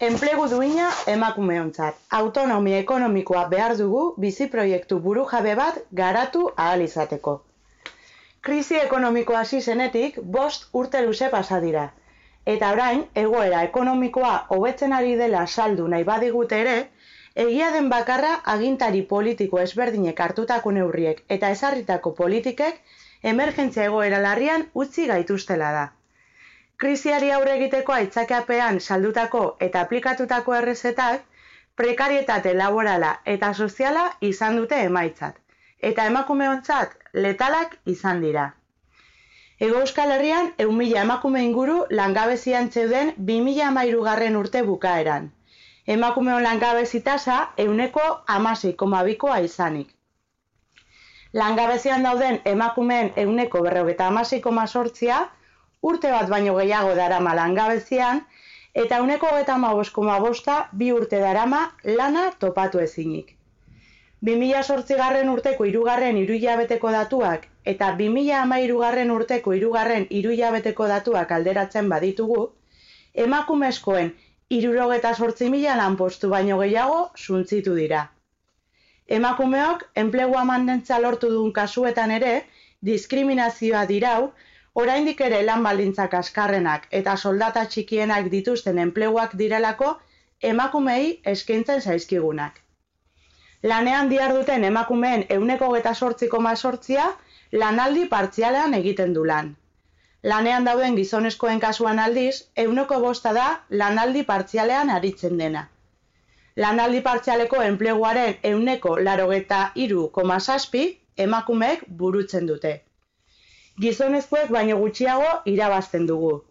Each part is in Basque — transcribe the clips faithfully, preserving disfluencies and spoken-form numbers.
Enplegu duina emakumeontzat. Autonomia ekonomikoa behar dugu bizi proiektu burujabe bat garatu ahal izateko. Krisi ekonomikoa hasi zenetik bost urte luze pasa dira. Eta orain, egoera ekonomikoa hobetzen ari dela saldu nahi badigute ere, egia den bakarra agintari politiko ezberdinek hartutako neurriek eta ezarritako politikek emergentzia egoera larrian utzi gaituztela da. Krisiari aurre egiteko aitzakiapean saldutako eta aplikatutako errezetak prekarietate laborala eta soziala izan dute emaitzat, eta emakumeontzat letalak izan dira. Hego Euskal Herrian ehun mila emakume inguru langabezian zeuden bi mila hamairugarren urte bukaeran. Emakumeon langabezi tasa ehuneko hamasei koma bikoa izanik. Langabezian dauden emakumeen ehuneko berrogeita hamasei koma zortzia urte bat baino gehiago darama langabezian, eta ehuneko hogeita hamabost koma bosta bi urte darama lana topatu ezinik. bi mila zortzigarren urteko hirugarren hiruhilabeteko datuak eta bi mila hamairugarren urteko hirugarren hiruhilabeteko datuak alderatzen baditugu, emakumezkoen hirurogeita zortzi mila lanpostu baino gehiago suntsitu dira. Emakumeok enplegua mantentza lortu duen kasuetan ere, diskriminazioa dirau, oraindik ere lan baldintzak azkarrenak eta soldata txikienak dituzten enpleguak direlako emakumei eskaintzen zaizkigunak. Lanean diharduten emakumeen ehuneko hogeita zortzi koma zortzia lanaldi partzialean egiten du lan. Lanean dauden gizonezkoen kasuan aldiz, ehuneko bosta da lanaldi partzialean aritzen dena. Lanaldi partzialeko enpleguaren ehuneko laurogeita hiru koma zazpi emakumeek burutzen dute. Gizonezkoek baino gutxiago irabazten dugu.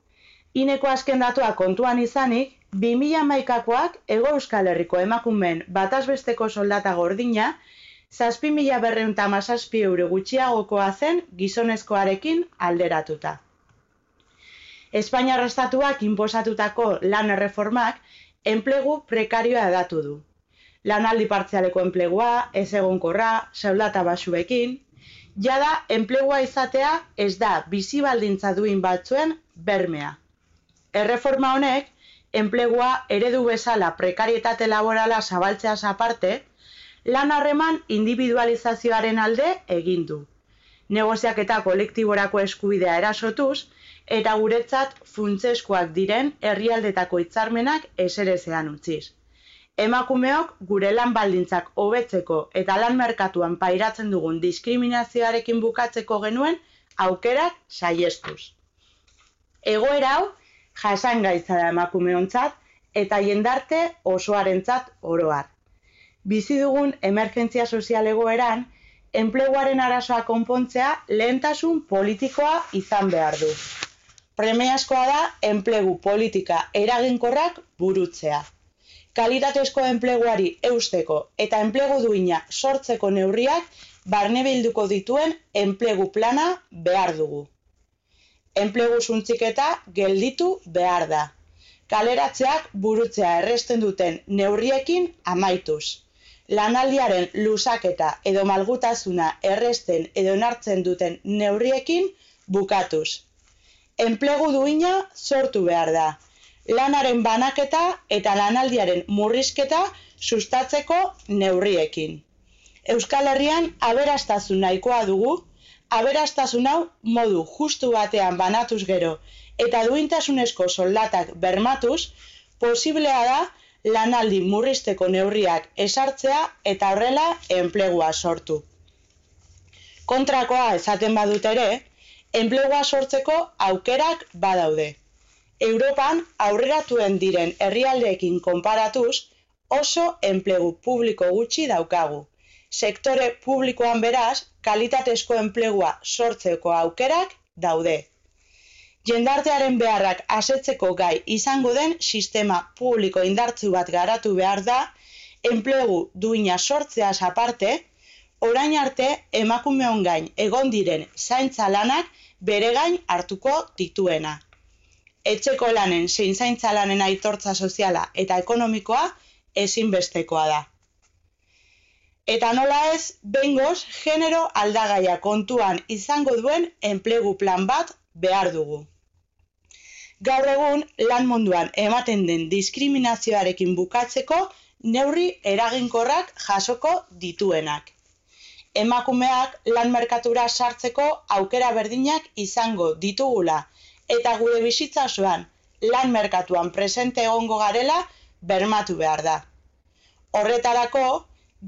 Ineko azken datua kontuan izanik, bi mila hamaikakoak Hego Euskal Herriko emakumeen batazbesteko soldata gordina, zazpi mila berrehun eta hamazazpi euro gutxiagokoa zen gizonezkoarekin alderatuta. Espainiar estatuak inposatutako lan erreformak enplegu prekarioa hedatu du. Lanaldi partzialeko enplegua, ezegonkorra, soldata baxuekin, jada enplegua izatea ez da bizi baldintza duin batzuen bermea. Erreforma honek, enplegua eredu bezala prekarietate laborala zabaltzeaz aparte, lan harreman individualizazioaren alde egin du. Negoziaketa kolektiborako eskubidea erasotuz, eta guretzat funtsezkoak diren herrialdetako hitzarmenak ezerezean utziz. Emakumeok gure lan baldintzak hobetzeko eta lan merkatuan pairatzen dugun diskriminazioarekin bukatzeko genuen aukerak saihestuz. Egoera hau jasangaitza da emakumeontzat eta jendarte osoarentzat oro har. Bizi dugun emergentzia sozial egoeran, enpleguaren arazoa konpontzea lehentasun politikoa izan behar du. Premiazkoa da enplegu politika eraginkorrak burutzea. Kalitatezko enpleguari eusteko eta enplegu duina sortzeko neurriak barnebilduko dituen enplegu plana behar dugu. Enplegu suntziketa gelditu behar da. Kaleratzeak burutzea erresten duten neurriekin amaituz. Lanaldiaren luzaketa edo malgutasuna erresten edo onartzen duten neurriekin bukatuz. Enplegu duina sortu behar da. Lanaren banaketa eta lanaldiaren murrizketa sustatzeko neurriekin. Euskal Herrian aberastasun nahikoa dugu, aberastasun hau modu justu batean banatuz gero eta duintasunezko soldatak bermatuz, posiblea da lanaldi murrizteko neurriak esartzea eta horrela enplegua sortu. Kontrakoa esaten badut ere, enplegua sortzeko aukerak badaude. Europan aurreratuen diren herrialdeekin konparatuz oso enplegu publiko gutxi daukagu. Sektore publikoan beraz, kalitatezko enplegua sortzeko aukerak daude. Jendartearen beharrak asetzeko gai izango den sistema publiko indartsu bat garatu behar da, enplegu duina sortzeaz aparte, orain arte emakumeon gain egon diren zaintza lanak bere gain hartuko dituena. Etxeko lanen zein zaintza lanen aitortza soziala eta ekonomikoa ezinbestekoa da. Eta nola ez, behingoz, genero aldagaia kontuan izango duen enplegu plan bat behar dugu. Gaur egun lan munduan ematen den diskriminazioarekin bukatzeko neurri eraginkorrak jasoko dituenak. Emakumeak lan merkatura sartzeko aukera berdinak izango ditugula eta gure bizitza osoan lan merkatuan presente egongo garela bermatu behar da. Horretarako,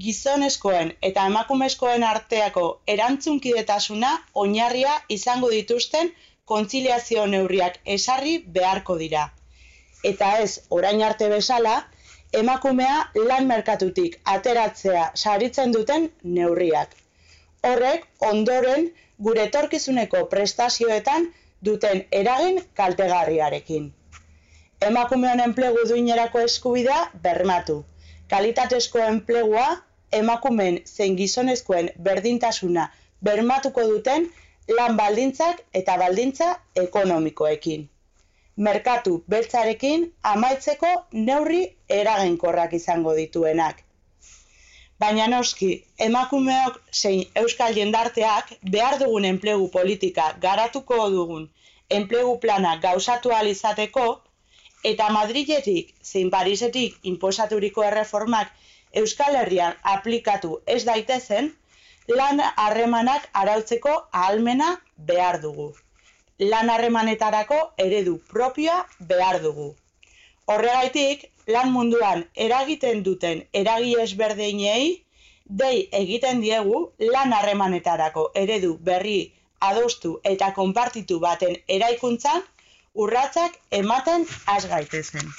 gizonezkoen eta emakumezkoen arteako erantzunkidetasuna oinarria izango dituzten kontziliazio neurriak ezarri beharko dira. Eta ez, orain arte bezala, emakumea lan merkatutik ateratzea saritzen duten neurriak. Horrek, ondoren, gure etorkizuneko prestazioetan duten eragin kaltegarriarekin. Emakumeon enplegu duinerako eskubidea bermatu. Kalitatezko enplegua, emakumeen zein gizonezkoen berdintasuna bermatuko duten lan baldintzak eta baldintza ekonomikoekin. Merkatu beltzarekin amaitzeko neurri eraginkorrak izango dituenak. Baina noski, emakumeok zein euskal jendarteak behar dugun enplegu politika garatuko dugun enplegu plana gauzatu ahal izateko eta Madriletik zein Parisetik inposaturiko erreformak Euskal Herrian aplikatu ez daitezen, lan harremanak arautzeko ahalmena behar dugu. Lan harremanetarako eredu propioa behar dugu. Horregaitik, lan munduan eragiten duten eragile ezberdinei dei egiten diegu lan harremanetarako eredu berri adostu eta konpartitu baten eraikuntzan urratsak ematen has gaitezen.